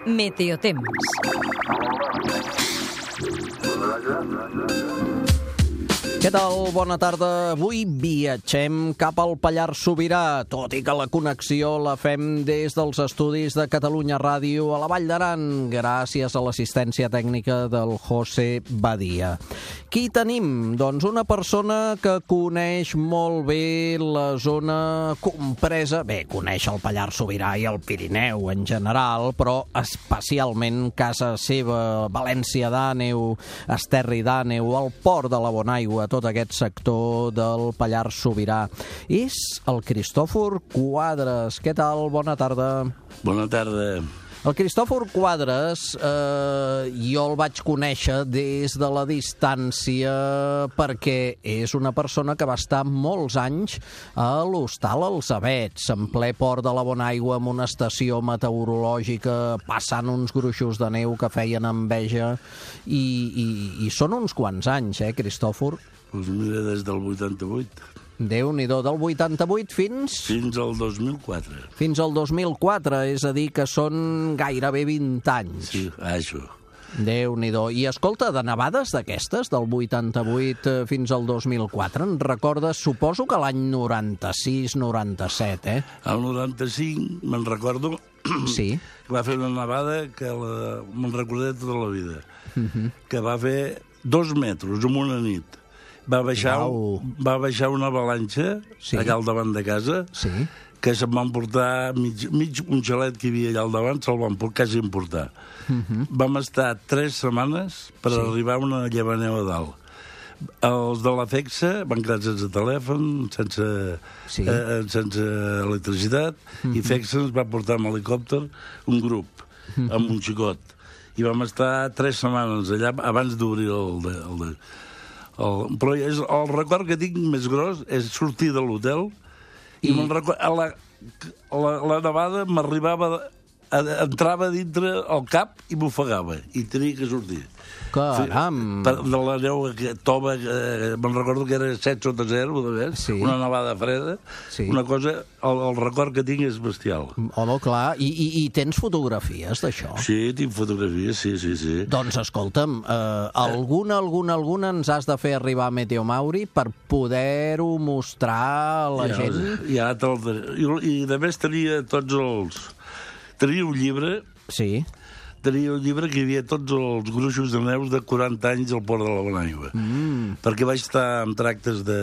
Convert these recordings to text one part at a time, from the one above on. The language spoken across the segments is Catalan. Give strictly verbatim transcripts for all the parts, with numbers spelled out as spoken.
Meteotemps. Què tal? Bona tarda. Avui viatgem cap al Pallars Sobirà, tot i que la connexió la fem des dels estudis de Catalunya Ràdio a la Vall d'Aran, gràcies a l'assistència tècnica del José Badia. Qui tenim? Doncs una persona que coneix molt bé la zona compresa, bé, coneix el Pallars Sobirà i el Pirineu en general, però especialment casa seva, València d'Àneu, Esterri d'Àneu, el Port de la Bonaigua, tot aquest sector del Pallars Sobirà. És el Cristòfor Quadres. Què tal? Bona tarda. Bona tarda. El Cristòfor Quadres eh, jo el vaig conèixer des de la distància perquè és una persona que va estar molts anys a l'Hostal Els Avets, en ple Port de la Bonaigua, amb una estació meteorològica, passant uns gruixos de neu que feien enveja, i, i, i són uns quants anys, eh, Cristòfor? Doncs mira, des del vuitanta-vuit. Déu-n'hi-do, del vuitanta-vuit fins... Fins al dos mil quatre. Fins al dos mil quatre, és a dir, que són gairebé vint anys. Sí, això. Déu-n'hi-do. I escolta, de nevades d'aquestes, del vuitanta-vuit fins al dos mil quatre, en recordes, suposo que l'any noranta-sis noranta-set, eh? Al noranta-cinc, me'n recordo, sí. Que va fer una nevada que la... me'n recordaré tota la vida, Uh-huh. que va fer dos metres en una nit. Va baixar, Au. va baixar una avalanxa, Sí. allà al davant de casa, Sí. que se'n van portar mig, mig un xalet que hi havia allà al davant, se'l van por- quasi emportar. Uh-huh. Vam estar tres setmanes per Sí. arribar a una llevaneu a dalt. Els de la FEXA van quedar sense telèfon, sense, Sí. eh, sense electricitat, i FEXA ens va portar amb helicòpter un grup, amb un xicot. I vam estar tres setmanes allà abans d'obrir el... De, el, de, el però és, el record que tinc més gros és sortir de l'hotel i, I- I record, a la, a la, la nevada m'arribava, a, entrava dintre el cap i m'ofegava, i tenia que sortir. Caram! Per, de la neu que tova, eh, me'n recordo que era set sota zero, de més, Sí. una nevada freda, Sí. una cosa, el, el record que tinc és bestial. Home, clar, i, i, i tens fotografies d'això? Sí, tinc fotografies, sí, sí, sí. Doncs escolta'm, eh, alguna, alguna, alguna ens has de fer arribar a Meteo Mauri per poder-ho mostrar a la ja, gent? Ja te'l daré. I, I de més tenia tots els... Tenia un llibre, Sí. tenia un llibre que hi havia tots els gruixos de neus de quaranta anys al Port de la Bonaigua. Mm. Perquè vaig estar en tractes de,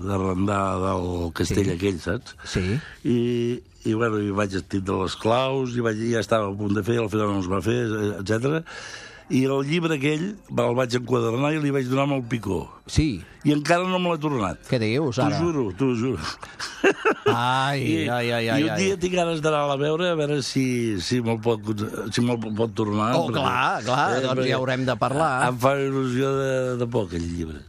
d'arrendar del castell Sí. aquell, saps? Sí. I, i bueno, i vaig tindre les claus, i vaig, ja estava a punt de fer, al final no es va fer, etcètera. I el llibre aquell el vaig enquadernar i li vaig donar amb el picó. Sí. I encara no me l'ha tornat. Què dius, ara? T'ho juro, t'ho juro. Ai, I, ai, ai, I ai. un ai. dia tinc ganes d'anar a veure, a veure si, si me'l pot, si me'l pot tornar. Oh, clar, clar, doncs ja haurem de parlar. Em fa il·lusió de, de por, aquell llibre.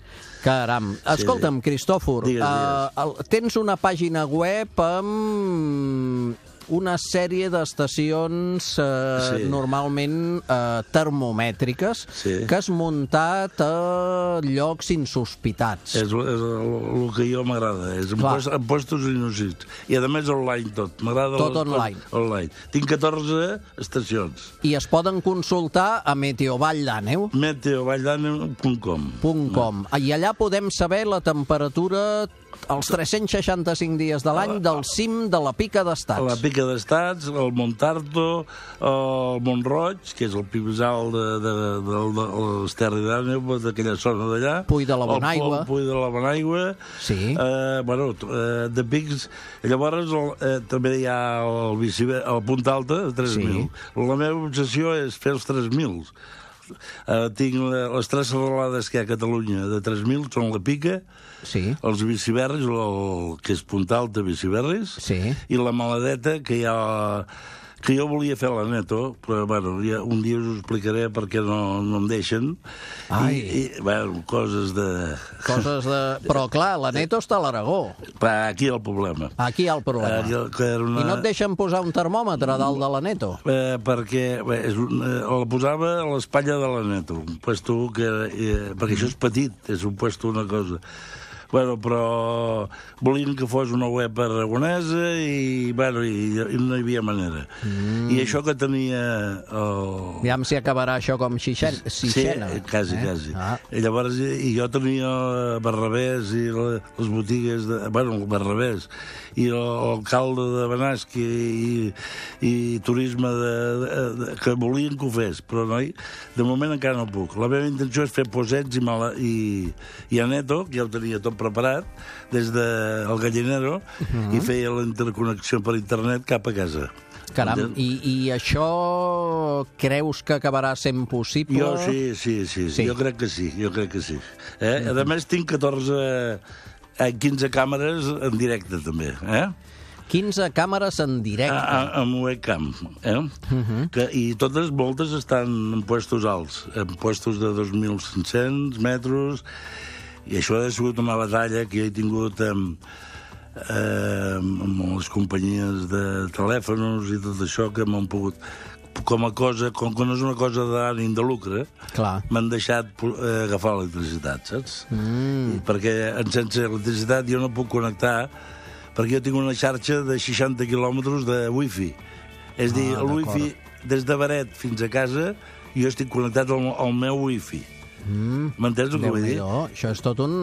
Caram. Escolta'm, Cristòfor, Digues, digues. eh, el- tens una pàgina web amb una sèrie d'estacions eh, Sí. normalment eh, termomètriques Sí. que has muntat a llocs insospitats. És, és el, el que jo m'agrada, és en, Clar. post, en postos inúsits. I a més online tot. M'agrada Tot les coses online. online. Tinc catorze estacions. I es poden consultar a Meteovall d'Àneu. meteovalldanem punt com. .com. I allà podem saber la temperatura els tres-cents seixanta-cinc dies de l'any del cim de la Pica La d'Estats. Pica d'Estats, el Montarto, el Montroig, que és el pi més alt de, de, de, de, de l'Esterri d'Àneu, d'aquella zona d'allà. Puy de la Bonaigua. El Puy de la Bonaigua. Sí. Eh, bueno, eh, de pics. Llavors, el, eh, també hi ha el, biciber, el Punt Alta, de tres mil. Sí. La meva obsessió és fer els tres mil. Uh, tinc la, les tres serralades que hi ha a Catalunya de tres mil, són la Pica, Sí. els biciberris, el, que és Punta Alta, biciberris, Sí. i la Maladeta, que hi ha... que jo volia fer la Neto, però bueno, ja, un dia us ho explicaré perquè no, no em deixen. Ai. I, i bueno, coses de... Coses de... Però clar, la Neto està a l'Aragó. Va, aquí hi ha el problema. Aquí hi ha el problema. Aquí, que era una... I no et deixen posar un termòmetre dalt de la Neto? Eh, perquè bé, és un, eh, la posava a l'espatlla de la Neto, un puesto que... Eh, perquè això és petit, és un puesto una cosa. Bueno, però volien que fos una web aragonesa i, bueno, i, i no hi havia manera. Mm. I això que tenia... El... Aviam si acabarà això com Xixena. Sí, quasi, eh? quasi. Ah. I llavors i jo tenia Barrabés i les botigues, de, bueno, el Barrabés, i l'alcalde de Benasque i, i turisme de, de, de, que volien que ho fes, però noi, de moment encara no puc. La meva intenció és fer posets i, mala, i, i Aneto, que ja ho tenia tot preparat, des del Gallinero, uh-huh. i feia la interconnexió per internet cap a casa. Caram, i, i això creus que acabarà sent possible? Jo sí, sí, sí, sí. Jo crec que sí, jo crec que sí. Eh? Uh-huh. A més, tinc catorze, quinze càmeres en directe, també, eh? quinze càmeres en directe. A, amb webcam, eh? Uh-huh. que, I totes, moltes estan en puestos alts, en puestos de dos mil cinc-cents metres, i això ha sigut una batalla que jo he tingut amb, eh, amb les companyies de telèfons i tot això, que m'han pogut, com a cosa, com que no és una cosa d'ànim de lucre, m'han deixat eh, agafar l'electricitat, saps? Mm. Perquè sense electricitat jo no puc connectar, perquè jo tinc una xarxa de seixanta quilòmetres de wifi. És a dir, ah, el wifi des de Beret fins a casa, jo estic connectat al, al meu wifi. Mm. M'entens el que vull dir? Això és tot un...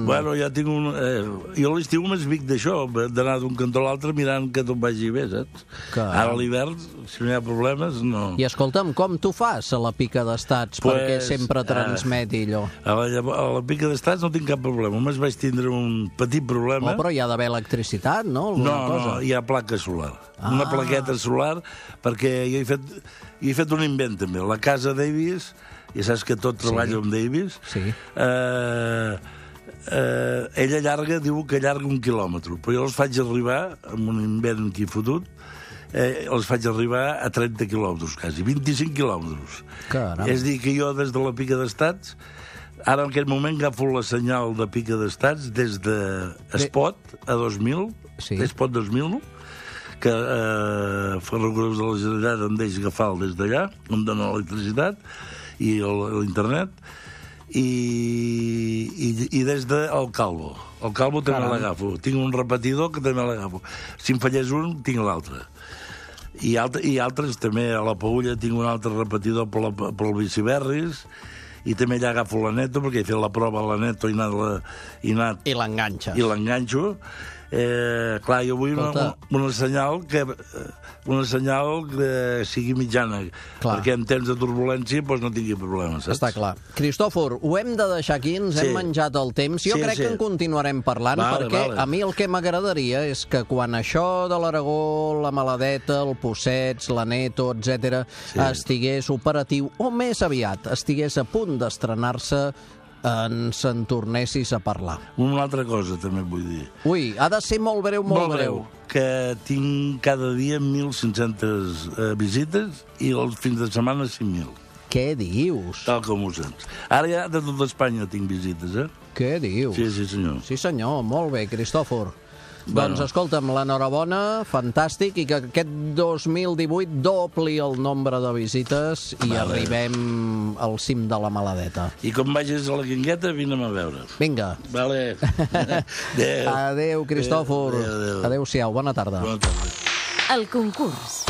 Bueno, ja tinc un... Eh, jo a l'estiu m'esvic d'això, d'anar d'un cantó a l'altre mirant que tot vagi bé, saps? Que... Ara a l'hivern, si no hi ha problemes, no... I escolta'm, com tu fas a la pica d'estats pues, perquè sempre transmeti allò? A la, a la pica d'estats no tinc cap problema. Només vaig tindre un petit problema... Oh, però hi ha d'haver electricitat, no? Alguna no, cosa? no, hi ha placa solar. Ah. Una plaqueta solar, perquè jo he fet, he fet un invent, també. La casa Davis... Ja saps que tot treballa sí. amb Davis. Sí. Eh, eh, ella allarga, diu que allarga un quilòmetre, però jo els faig arribar, amb un invent aquí fotut, eh, els faig arribar a trenta quilòmetres, quasi, vint-i-cinc quilòmetres. Caram. És dir, que jo des de la pica d'estats, ara en aquest moment agafo la senyal de pica d'estats des de Espot a dos mil, sí. Espot dos mil, que eh, Ferrocarrils de la Generalitat em deixa agafar des d'allà, em dona l'electricitat, i l'internet, i, i, i des del Calvo. El Calvo també l'agafo. Tinc un repetidor que també l'agafo. Si em fallés un, tinc l'altre. I, altre, I altres també, a la Paülla tinc un altre repetidor per, la, per el Biciberris, i també allà agafo la Neto, perquè he fet la prova a la Neto i anat... La, i, anat, I l'enganxes. I l'enganxo. Eh, clar, jo vull una, una senyal que una senyal que sigui mitjana, clar. Perquè en temps de turbulència doncs no tingui problemes, saps? Està clar. Cristòfor, ho hem de deixar aquí, ens sí. hem menjat el temps. Jo sí, crec sí. que en continuarem parlant, vale, perquè vale. a mi el que m'agradaria és que quan això de l'Aragó, la Maladeta, el Possets, la Neto, etcètera, sí. estigués operatiu, o més aviat, estigués a punt d'estrenar-se, ens en tornessis a parlar. Una altra cosa també vull dir. Ui, ha de ser molt breu, molt, molt breu. breu. Que tinc cada dia mil cinc-centes eh, visites i els fins de setmana cinc mil. Què dius? Tal com ho sents. Ara ja de tot Espanya tinc visites, eh? Què dius? Sí, sí, senyor. Sí, senyor. Molt bé, Cristòfor. Bueno. Doncs escolta'm, l'enhorabona, fantàstic, i que aquest dos mil divuit dobli el nombre de visites i vale. arribem al cim de la Maladeta. I com vagis a la Guingueta, vine'm a veure. Vinga. Vale. Adéu. Adéu, Cristòfor. Adéu, adéu. Adéu-siau, bona tarda. Bona tarda. El concurs.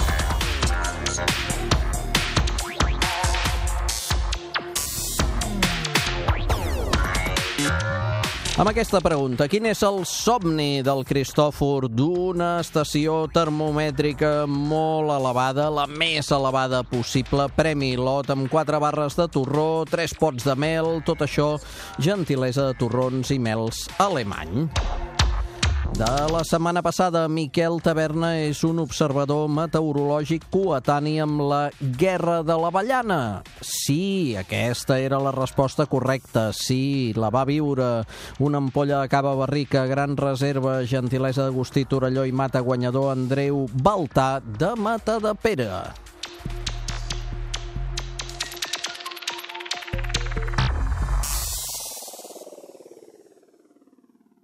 Amb aquesta pregunta, quin és el somni del Cristòfor d'una estació termomètrica molt elevada, la més elevada possible, premi lot amb quatre barres de torró, tres pots de mel, tot això, gentilesa de torrons i mels alemany. De la setmana passada, Miquel Taverna és un observador meteorològic coetani amb la Guerra de l'Avellana. Sí, aquesta era la resposta correcta. Sí, la va viure. Una ampolla de cava barrica, gran reserva, gentilesa d'Agustí Torelló i mata guanyador Andreu Baltà de Matadepera.